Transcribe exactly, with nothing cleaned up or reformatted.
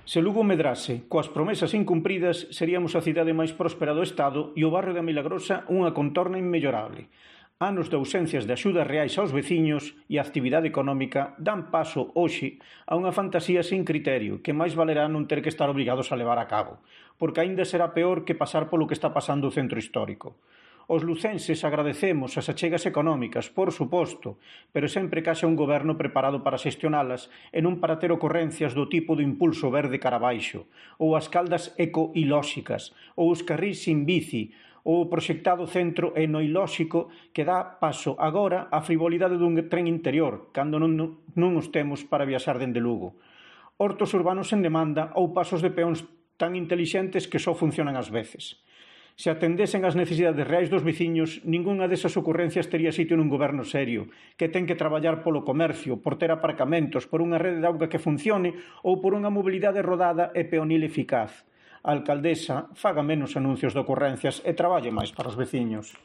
Se Lugo medrase coas promesas incumpridas, seríamos a cidade máis próspera do Estado e o barrio da Milagrosa unha contorna inmellorable. Anos de ausencias de axudas reais aos veciños e a actividade económica dan paso, hoxe, a unha fantasía sin criterio que máis valerá non ter que estar obrigados a levar a cabo, porque aínda será peor que pasar polo que está pasando o centro histórico. Os lucenses agradecemos as achegas económicas, por suposto, pero sempre que haxa un goberno preparado para xestionalas e non para ter ocorrencias do tipo do impulso verde cara abaixo, ou as caldas ecoilóxicas, ou os carrís sin bici, ou o proxectado centro enoilóxico que dá paso agora á frivolidade dun tren interior, cando non, non os temos para viaxar dende Lugo. Hortos urbanos en demanda ou pasos de peóns tan intelixentes que só funcionan ás veces. Se atendesen as necesidades reais dos veciños, ningunha desas ocurrencias tería sitio nun goberno serio, que ten que traballar polo comercio, por ter aparcamentos, por unha rede de auga que funcione ou por unha mobilidade rodada e peonil eficaz. A alcaldesa faga menos anuncios de ocurrencias e traballe máis para os veciños.